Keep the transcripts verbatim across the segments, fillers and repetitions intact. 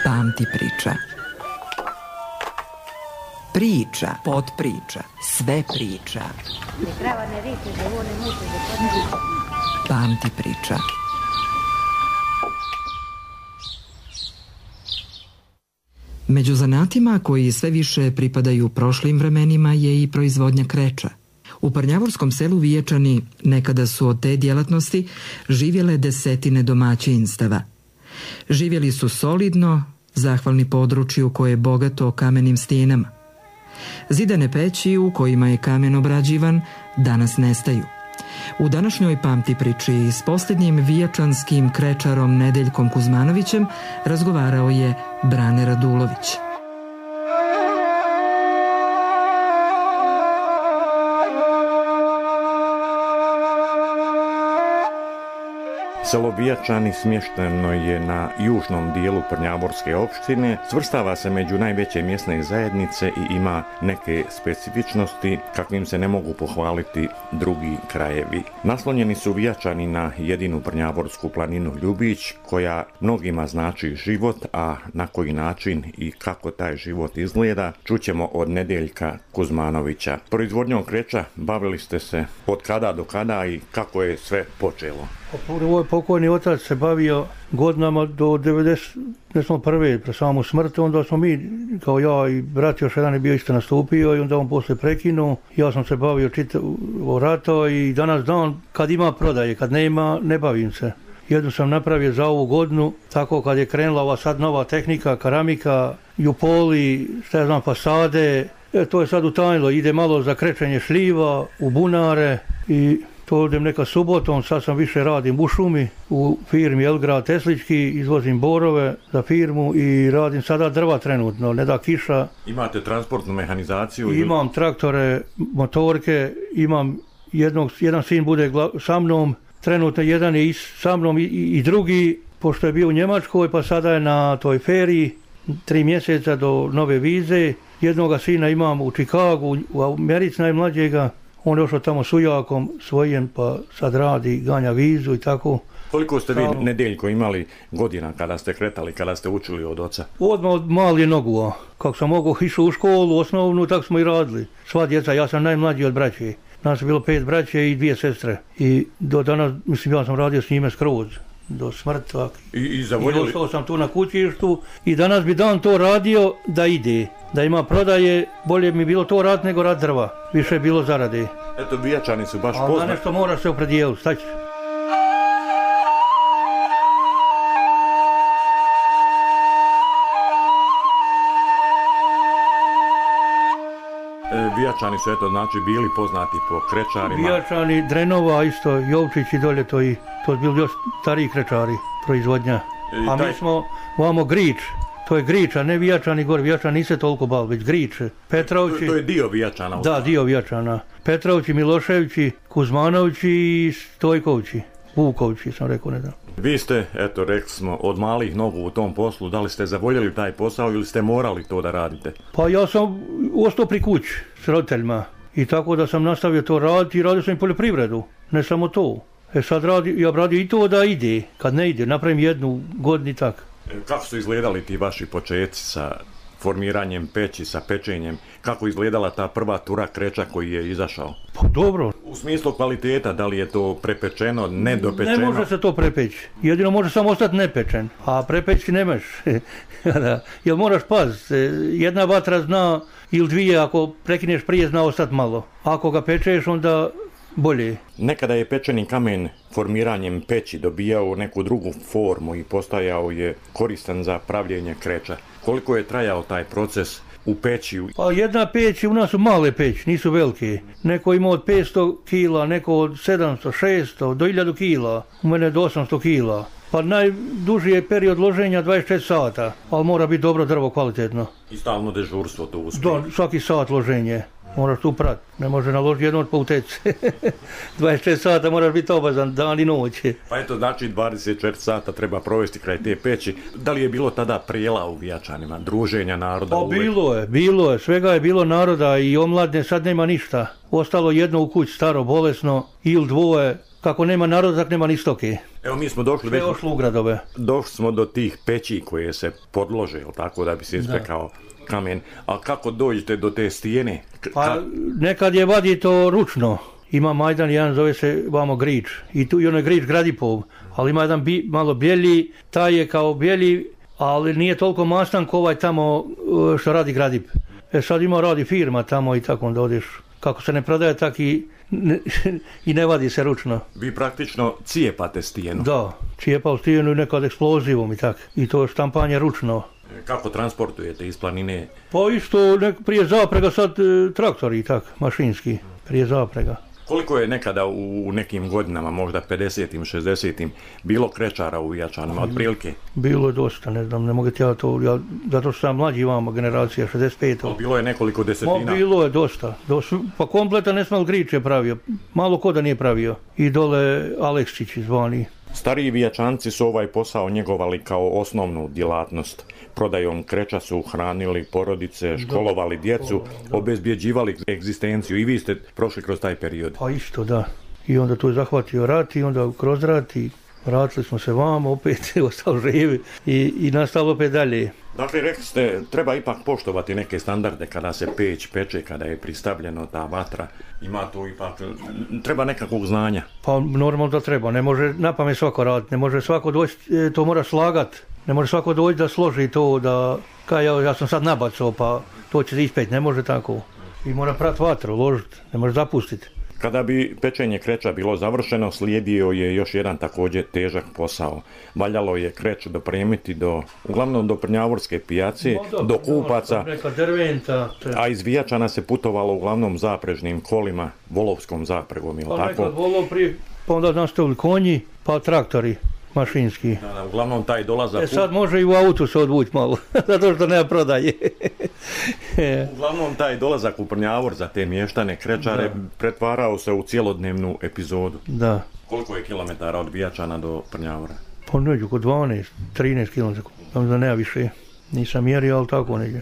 Pamti priča. Priča, podpriča, sve priča. Pamti priča. Među zanatima koji sve više pripadaju prošlim vremenima je i proizvodnja kreča. U Prnjavorskom selu Vijačani nekada su od te djelatnosti živjele desetine domaćinstava. Živjeli su solidno, zahvalni području koje je bogato kamenim stijenama. Zidane peći u kojima je kamen obrađivan danas nestaju. U današnjoj Pamti priči s posljednjim vijačanskim krečarom Nedeljkom Kuzmanovićem razgovarao je Brane Radulović. Selo Vijačani smješteno je na južnom dijelu Prnjavorske opštine, svrstava se među najveće mjesne zajednice i ima neke specifičnosti kakvim se ne mogu pohvaliti drugi krajevi. Naslonjeni su Vijačani na jedinu Prnjavorsku planinu Ljubić, koja mnogima znači život, a na koji način i kako taj život izgleda čućemo od Nedeljka Kuzmanovića. Proizvodnjom kreča bavili ste se od kada do kada i kako je sve počelo? Prvo je pokojni otac se bavio godinama do devedeset prve pre samu smrt, onda smo mi, kao ja i brat još jedan je bio isto nastupio i onda on poslije prekinuo. Ja sam se bavio čitavo rato i danas dan kad ima prodaje, kad nema ne bavim se. Jednu sam napravio za ovu godinu, tako kad je krenula ova sad nova tehnika, keramika, jupoli, šta ja znam, fasade, e, to je sad utajnilo, ide malo za krečenje šljiva, u bunare i to odem neka subotom, sad sam više radim u šumi, u firmi Elgrad Teslički, izvozim borove za firmu i radim sada drva trenutno, ne da kiša. Imate transportnu mehanizaciju? Imam traktore, motorke, imam jednog, jedan sin bude sa mnom, trenutno jedan je i sa mnom i, i drugi, pošto je bio u Njemačkoj, pa sada je na toj feriji, tri mjeseca do nove vize. Jednoga sina imam u Čikagu, u Americi najmlađega. On je došao tamo s ujakom svojim, pa sad radi, ganja vizu i tako. Koliko ste vi, Nedeljko, imali godina kada ste kretali, kada ste učili od oca? Odmah od mali nogu, kako sam mogao išao u školu osnovnu, tako smo i radili. Sva djeca, ja sam najmlađi od braće. Nas je bilo pet braće i dvije sestre. I do danas, mislim, ja sam radio s njime skroz, do smrta. I, i zavoljeli? I ostao sam tu na kućištu i danas bi dan to radio da ide. Da ima prodaje, bolje mi bilo to rad nego rad drva. Više je bilo zarade. Eto, Vijačani su baš poznati. Ali na nešto mora se opredijeliti, šta ćeš? Vijačani su, eto, znači, bili poznati po krečarima. Vijačani, Drenova isto, Jovčić i dolje to i, to je bili još stariji krečari, proizvodnja. I a taj... mi smo, vamo Grič, to je Grič, a ne Vijačani gore, Vijačani nise toliko bavili, već Grič. Petrovći... To, to je dio Vijačana. Da, dio Vijačana. Petrovći, Miloševići, Kuzmanovići i Stojkovći. Vukovći, sam rekao, ne znam. Vi ste, eto, rekli smo, od malih nogu u tom poslu, da li ste zavoljeli taj posao ili ste morali to da radite? Pa ja sam ostao pri kući s roditeljima i tako da sam nastavio to raditi i radio sam i poljoprivredu, ne samo to. E sad radi, ja radio i to da ide, kad ne ide, napravim jednu godinu i tak. Kako su izgledali ti vaši početci sa formiranjem peći, sa pečenjem? Kako izgledala ta prva tura kreča koji je izašao? Pa dobro. U smislu kvaliteta, da li je to prepečeno, nedopečeno? Ne može se to prepeći. Jedino može samo ostati nepečen, a prepeći nemaš. Jer moraš paziti, jedna vatra zna ili dvije, ako prekineš prije zna ostati malo. Ako ga pečeš, onda bolje. Nekada je pečeni kamen formiranjem peći dobijao neku drugu formu i postajao je koristan za pravljenje kreča. Koliko je trajao taj proces u peći? Pa jedna peć, u nas su male peći, nisu velike. Neko ima od petsto kila, neko od sedamsto, šesto, do hiljadu kila. U mene do osamsto kila. Pa najduži je period loženja dvadeset četiri sata, ali mora biti dobro drvo, kvalitetno. I stalno dežurstvo to uspije? Da, svaki sat loženje. Moraš tu prat, ne može naložiti jedno od pauteci. dvadeset četiri sata moraš biti obazan, dan i noć. Pa eto, znači dvadeset četiri sata treba provesti kraj te peći. Da li je bilo tada prijela u Vijačanima, druženja naroda? Pa uvijek? Bilo je, bilo je, svega je bilo naroda i omladne, sad nema ništa. Ostalo jedno u kući, staro, bolesno, ili dvoje, kako nema naroda, tak nema ni stoke. Evo mi smo došli, Sve ošlo u gradove. Došli smo do tih peći koje se podlože, tako da bi se ispekao kamen. A kako dođete do te stijene? K- Pa nekad je vadi to ručno. Ima majdan, jedan zove se vamo Grič. I tu i ono je Grič Gradipov. Ali ima jedan bi, malo bijeli, taj je kao bijeli, ali nije toliko mastan ko ovaj tamo što radi Gradip. E sad ima radi firma tamo i tako onda odeš. Kako se ne prodaje, tak i ne, i ne vadi se ručno. Vi praktično cijepate stijenu. Da, cijepao stijenu i nekad eksplozivom i tak. I to štampanje ručno. Kako transportujete iz planine? Pa isto nek, prije zaprega sad e, traktori i tak, mašinski, prije zaprega. Koliko je nekada u nekim godinama, možda pedesetim, šezdesetim, bilo krečara u Vijačanima, otprilike? Bilo je dosta, ne znam, ne mogu ti ja to, ja, zato što sam mlađi vama generacija, šezdeset pet. Bilo je nekoliko desetina? Ma, bilo je dosta, dosta. Pa kompleta Nesmal Grič je pravio, malo ko da nije pravio. I dole Aleksić zvani. Stariji Vijačanci su ovaj posao njegovali kao osnovnu djelatnost. Prodajom kreča su hranili porodice, školovali djecu, obezbjeđivali egzistenciju. I vi ste prošli kroz taj period. Pa isto, da. I onda tu je zahvatio rat i onda kroz rat i vratili smo se vamo, opet ostali živi i, i nastavili opet dalje. Dakle, rekli ste, treba ipak poštovati neke standarde kada se peć peče, kada je pristavljeno ta vatra. Ima tu ipak, treba nekakvog znanja. Pa normalno da treba, ne može napamet svako raditi, ne može svako doći, to mora slagat. Ne može svako doći da složi to, da, kaj ja, ja sam sad nabacao, pa to će ispeć, ne može tako. I mora prat vatru, ložiti, ne može zapustiti. Kada bi pečenje kreča bilo završeno, slijedio je još jedan također težak posao. Valjalo je kreć dopremiti do, uglavnom do Prnjavorske pijace, no, do kupaca, neka drventa, a iz Vijačana se putovalo uglavnom zaprežnim kolima, volovskom zapregom, ili pa tako? nekad volov prije, pa onda nastavili konji, pa traktori mašinski. Da, da, uglavnom taj dolazak... E sad može i u autu se odvući malo, zato što nema prodaje. Uglavnom taj dolazak u Prnjavor za te mještane, krečare, da, pretvarao se u cijelodnevnu epizodu. Da. Koliko je kilometara od Vijačana do Prnjavora? Pa neđu, oko dvanaest, trinaest kilometara, da nema više. Nisam mjerio, ali tako neđe.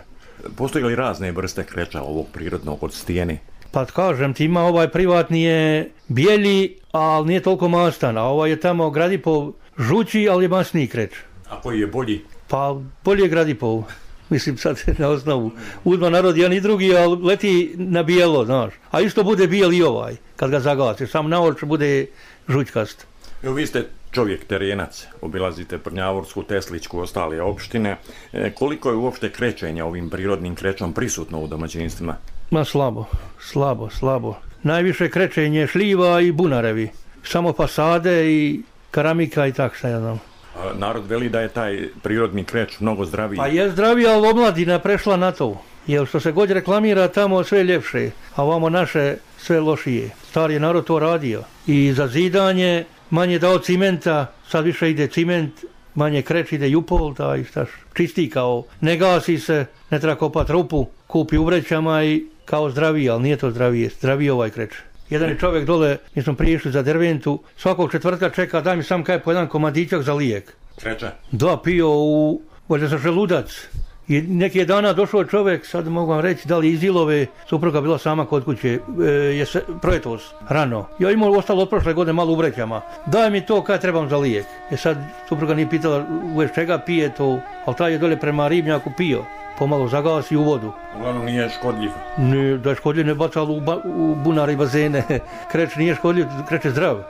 Postoji li razne vrste kreča ovog prirodnog od stijene? Pa kažem ti, ima ovaj privatni je bijeli, ali nije toliko mastan, a ovaj je tamo Gradipov žući, ali je masniji kreč. A koji je bolji? Pa bolji je Gradipov. Mislim sad na osnovu. Uzma narod jedan i drugi, ali leti na bijelo, znaš. A isto bude bijel i ovaj, kad ga zagasiš. Sam na oči bude žućkast. Evo, vi ste čovjek terenac, obilazite Prnjavorsku, Teslićku, ostale opštine. E, koliko je uopšte krećenja ovim prirodnim krećom prisutno u domaćinstvima? Ma slabo, slabo, slabo. Najviše krećenje šljiva i bunarevi. Samo fasade i keramika i tak šta ja znam. A narod veli da je taj prirodni kreć mnogo zdraviji. Pa je zdraviji, ali omladina prešla na to. Jer što se god reklamira tamo sve ljepše, a ovamo naše sve lošije. Stari narod to radio. I za zidanje manje dao cimenta, sad više ide ciment, manje kreć ide jupol, taj štaš, čisti kao, ne gasi se, ne treba kopat rupu, kupi u vrećama i kao zdraviji, ali nije to zdravije, zdraviji ovaj kreć. Jedan je čovjek dole, mi smo prije išli za Derventu, svakog četvrtka čeka, daj mi sam kaj po jedan komadićak za lijek. Kreća? Da, pio u, valjda za želudac. I neki je dana došao čovjek, sad mogu vam reći, da li iz Ilove, supruga bila sama kod kuće, e, je se, projetos, rano. Ja imao ostalo od prošle godine malo u vrećama. Daj mi to kaj trebam za lijek. E sad supruga nije pitala uveć čega pije to, ali taj je dole prema ribnjaku pio. Pomalo zagasi u vodu. Uglavnom nije škodljiv. Ne, da je škodljiv ne bacalo u, ba, u bunare i bazene. Kreć nije škodljiv, kreć je zdrav. E,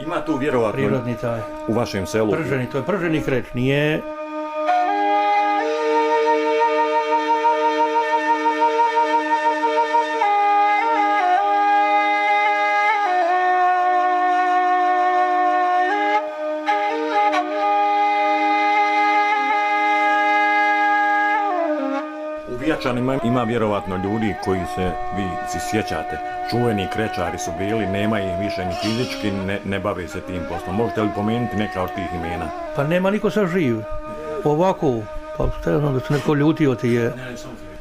ima tu vjerovatno prirodni taj. U vašem selu? Prženi, to je prženi kreć, nije... Vijačanima ima vjerovatno ljudi koji se vi si sjećate. Čuveni krečari su bili, nema ih više ni fizički, ne, ne bave se tim poslom. Možete li pomenuti neka od tih imena? Pa nema niko sad živ. Ovako, pa šta znam da se neko ljutio ti je.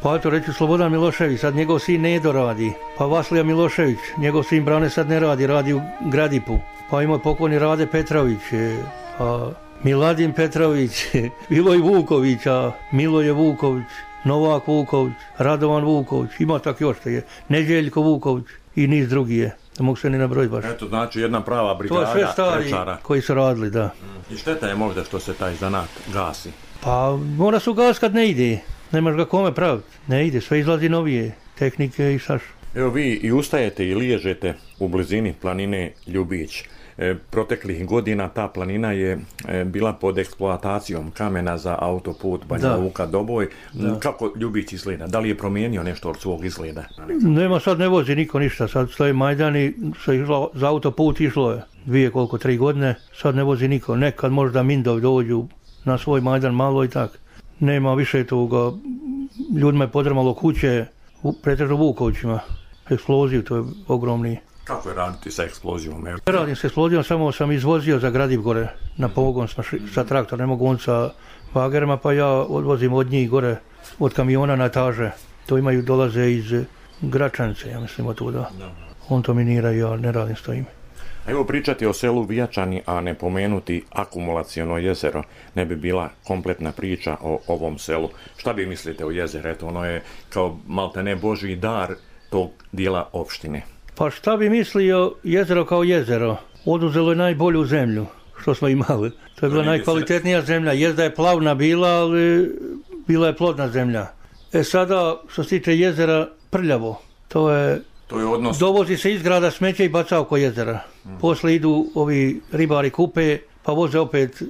Pa eto reći Slobodan Milošević, sad njegov sin Nedo radi. Pa Vaslija Milošević, njegov sin Brane sad ne radi, radi u Gradipu. Pa ima pokojni Rade Petrović, pa Miladin Petrović, Viloj Vuković, a Miloje Vuković. Novak Vuković, Radovan Vuković, ima tak još što je, Neđeljko Vuković i niz drugi je. da mogu sve ni nabrojiti baš. Eto, znači jedna prava brigada krečara. To je sve stari krečara. Koji su radili, da. I šteta je možda što se taj zanat gasi? Pa mora se ugas kad ne ide, nemaš ga kome praviti, ne ide, sve izlazi novije tehnike i saš. Evo vi i ustajete i liježete u blizini planine Ljubić. E, proteklih godina ta planina je e, bila pod eksploatacijom kamena za autoput Banja Luka Doboj. Da. Kako Ljubić izgleda? Da li je promijenio nešto od svog izgleda? Nema, sad ne vozi niko ništa, sad stoje Majdani, išlo, za autoput išlo je dvije koliko, tri godine, sad ne vozi niko. Nekad možda Mindovi dođu na svoj Majdan malo i tak. Nema više toga, ljudima je podrmalo kuće, pretežno Vukovićima, eksploziju, to je ogromni. Kako je raditi sa eksplozijom? Ne radim sa eksplozijom, samo sam izvozio za Gradiv gore na pogon sa, sa traktor, ne mogu on sa bagerima, pa ja odvozim od njih gore, od kamiona na etaže. To imaju, dolaze iz Gračanice, ja mislim od tuda. On to minira i ja ne radim s tojim. A evo pričati o selu Vijačani, a ne pomenuti akumulaciono jezero, ne bi bila kompletna priča o ovom selu. Šta bi mislite o jezeru? Eto, ono je kao maltene Božji dar tog dijela opštine. Pa šta bi mislio jezero kao jezero? Oduzelo je najbolju zemlju što smo imali. To je bila najkvalitetnija zemlja. Jezda je plavna bila, ali bila je plodna zemlja. E sada, što se tiče jezera, prljavo. To je... To je odnos... Dovozi se iz grada smeće i baca oko jezera. Mm. Posle idu ovi ribari kupe, pa voze opet,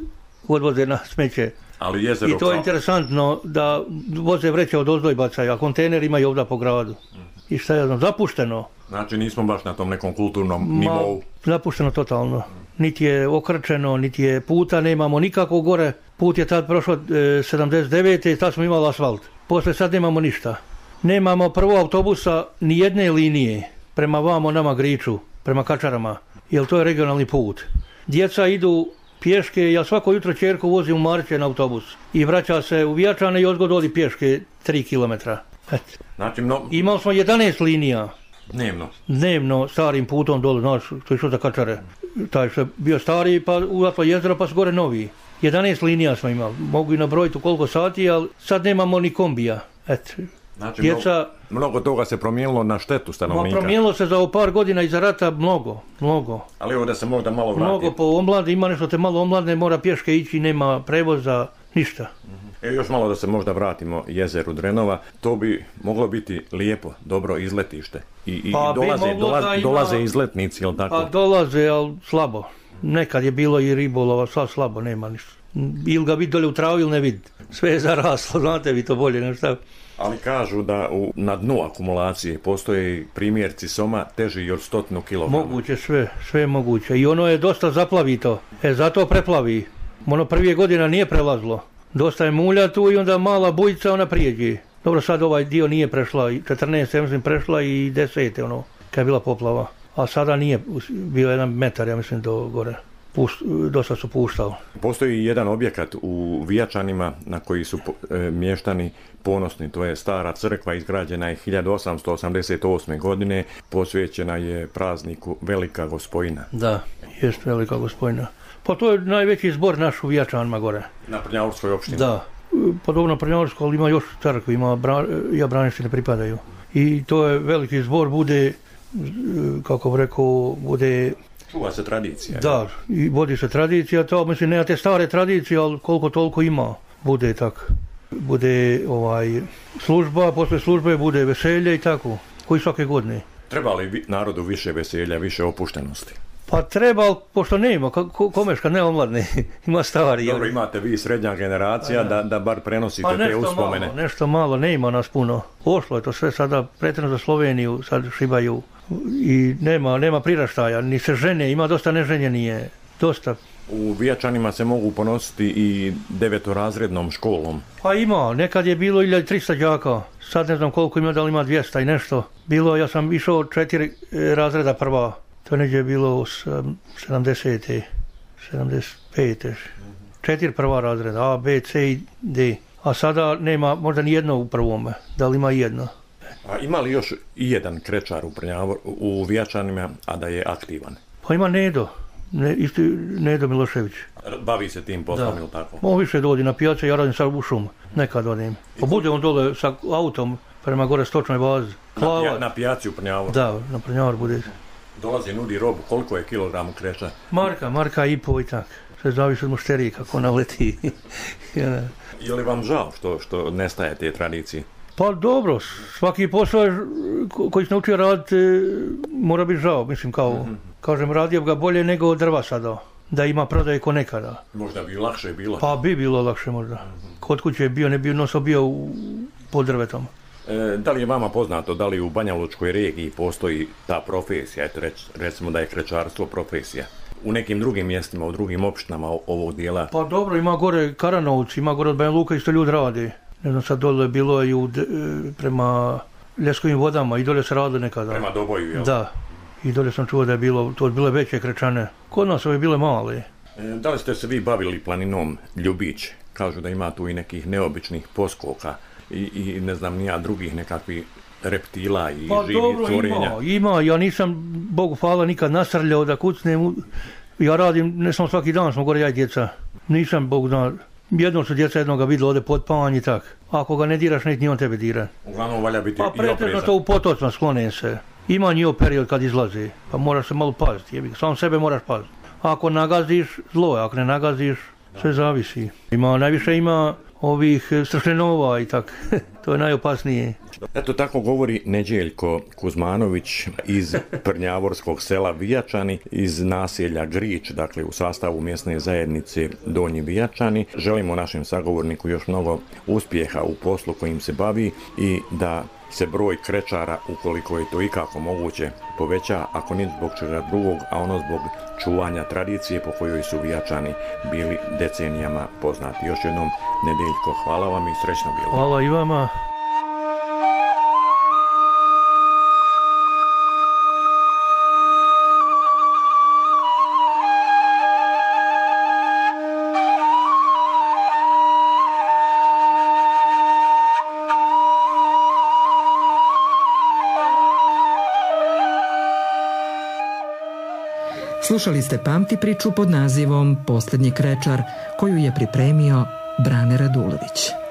odvoze na smeće. Ali jezero... I to je interesantno da voze vreće od ozdo i bacaju, a kontejner imaju ovdje po gradu. Mm. I šta je znam, zapušteno. Znači nismo baš na tom nekom kulturnom nivou. Zapušteno totalno. Niti je okrčeno, niti je puta, nemamo nikako gore. Put je tad prošao e, sedamdeset devete i tad smo imali asfalt. Posle sad nemamo ništa. Nemamo prvo autobusa ni jedne linije prema vamo nama Griču, prema Kačarama, jer to je regionalni put. Djeca idu pješke, ja svako jutro čerku vozim u Marče na autobus i vraća se u Vijačane i odgod odi pješke tri kilometra. Znači, no... Imali smo jedanaest linija. Dnevno? Dnevno, starim putom dole, znaš, to je što za Kačare. Taj što je bio stari, pa uvatlo jezero, pa su gore novi. jedanaest linija smo imali, mogu i nabrojiti u koliko sati, ali sad nemamo ni kombija. Eto. Znači, djeca... mnogo, mnogo toga se promijenilo na štetu stanovnika. Promijenilo se za par godina iza rata mnogo, mnogo. Ali evo da se možda malo vrati. Mnogo po omlade, ima nešto te malo omladne, mora pješke ići, nema prevoza, ništa. Uh-huh. E, još malo da se možda vratimo jezeru Drenova, to bi moglo biti lijepo, dobro izletište. I, i pa dolaze, dolaze, ima... dolaze izletnici, jel tako? Pa dolaze, ali slabo. Nekad je bilo i ribolova, sad slabo, nema ništa. Ili ga vidi dolje u travu ili ne vidi. Sve je zaraslo, znate vi to bolje, ne šta. Ali kažu da u, na dnu akumulacije postoje primjerci soma teži od stotinu kilograma. Moguće, sve, sve je moguće. I ono je dosta zaplavito. E, zato preplavi. Ono prvije godina nije prelazlo. Dosta je mulja tu i onda mala bujica, ona prijeđe. Dobro, sad ovaj dio nije prešla, četrnaest, ja mislim, prešla i deset, ono, kad je bila poplava. A sada nije, bio jedan metar, ja mislim, do gore. Pušt, dosta su puštali. Postoji jedan objekat u Vijačanima na koji su e, mještani ponosni, to je stara crkva, izgrađena je hiljadu osamsto osamdeset osme. godine, posvećena je prazniku Velika Gospojina. Da, jest Velika Gospojina. Pa to je najveći zbor naš u Vijačanima gore. Na Prnjavorskoj opštini? Da, podobno Prnjavorsko, ali ima još crkvi, ima bra, ja Braništine pripadaju. I to je veliki zbor, bude, kako bi rekao, bude... Čuva se tradicija. Da, i vodi se tradicija, to mislim, nema te stare tradicije, ali koliko toliko ima, bude tako. Bude ovaj, služba, posle službe bude veselje i tako, koji svake godine. Treba li narodu više veselja, više opuštenosti? Pa treba, pošto ne ima, ko, komeš kad ne omladne, ima stari. Dobro, imate vi srednja generacija da, da bar prenosite pa te uspomene. Malo, nešto malo, ne ima nas puno. Ošlo je to sve sada pretredno za Sloveniju, sad šibaju i nema, nema priraštaja, ni se žene, ima dosta neženjenije, dosta. U Vijačanima se mogu ponositi i devetorazrednom školom. Pa ima, nekad je bilo hiljadu trista đaka, sad ne znam koliko ima, da li ima dvjesto i nešto. Bilo, ja sam išao četiri razreda prva, to neđe je bilo sedamdesete, sedamdeset pete. Četiri prva razreda, A, B, C i D. A sada nema možda ni jedno u prvome, da li ima jedno. A ima li još i jedan krečar u, Prnjavor, u Vijačanima, a da je aktivan? Pa ima Nedo. Ne, isti Nedo Milošević. Bavi se tim poslom, ili tako? On više dodi na pijace, ja radim sad u šum, nekad odim. Pa bude on dole sa autom prema gore stočnoj bazi. Na, pija, na pijaci u Prnjavoru? Da, na Prnjavor bude. Dolazi, nudi robu, koliko je kilogramu kreča? Marka, marka i po i tak. Sve zavisi od mušterije kako naleti. Ja. Je li vam žao što, što nestaje te tradicije? Pa dobro, svaki posao koji se naučio raditi mora biti žao. Mislim, kao, mm-hmm. kažem, radio ga bolje nego drva sada. Da ima prodaje ko nekada. Možda bi lakše bilo? Pa bi bilo lakše možda. Mm-hmm. Kod kuće je bio, ne bio, noso bio u, pod drvetom. E, da li je vama poznato, da li u Banjalučkoj regiji postoji ta profesija, eto rec, recimo da je krečarstvo profesija? U nekim drugim mjestima, u drugim opštinama ovog dijela? Pa dobro, ima gore Karanovci, ima gore od Banja Luka, isto ljudi radi. Ne znam, sad dole je bilo i u, prema Ljeskovim vodama, i dole se radilo nekada. Prema Doboju, jel? Da, i dole sam čuo da je bilo, to je bile veće krečane. Kod nas ove bile male. E, da li ste se vi bavili planinom Ljubić? Kažu da ima tu i nekih neobičnih poskoka i, i ne znam nija drugih nekakvih reptila i pa, živih dobro, stvorenja. Ima, ima, ja nisam, Bogu hvala, nikad nasrljao da kucnem. Ja radim, ne samo svaki dan smo gore ja i djeca. Nisam, Bog zna, jednom su djeca jednoga vidjela ovdje pod panj i tak. Ako ga ne diraš, nek ni on tebe dira. Uglavnom valja biti pa, i oprezan. Pa pretežno to u potocima sklone se. Ima njihov period kad izlazi, pa moraš se malo paziti. Sam sebe moraš paziti. Ako nagaziš, zlo je, ako ne nagaziš, sve zavisi. Ima, najviše ima ovih stršljenova i tak. To je najopasnije. Eto tako govori Neđeljko Kuzmanović iz prnjavorskog sela Vijačani, iz naselja Grič, dakle u sastavu mjesne zajednice Donji Vijačani. Želimo našem sagovorniku još mnogo uspjeha u poslu kojim se bavi i da se broj krečara, ukoliko je to ikako moguće, poveća, ako ni zbog čega drugog, a ono zbog čuvanja tradicije po kojoj su Vijačani bili decenijama poznati. Još jednom, Nedeljko, hvala vam i srećno bilo. Hvala i vama. Slušali ste Pamti priču pod nazivom Posljednji krečar, koju je pripremio Brane Radulović.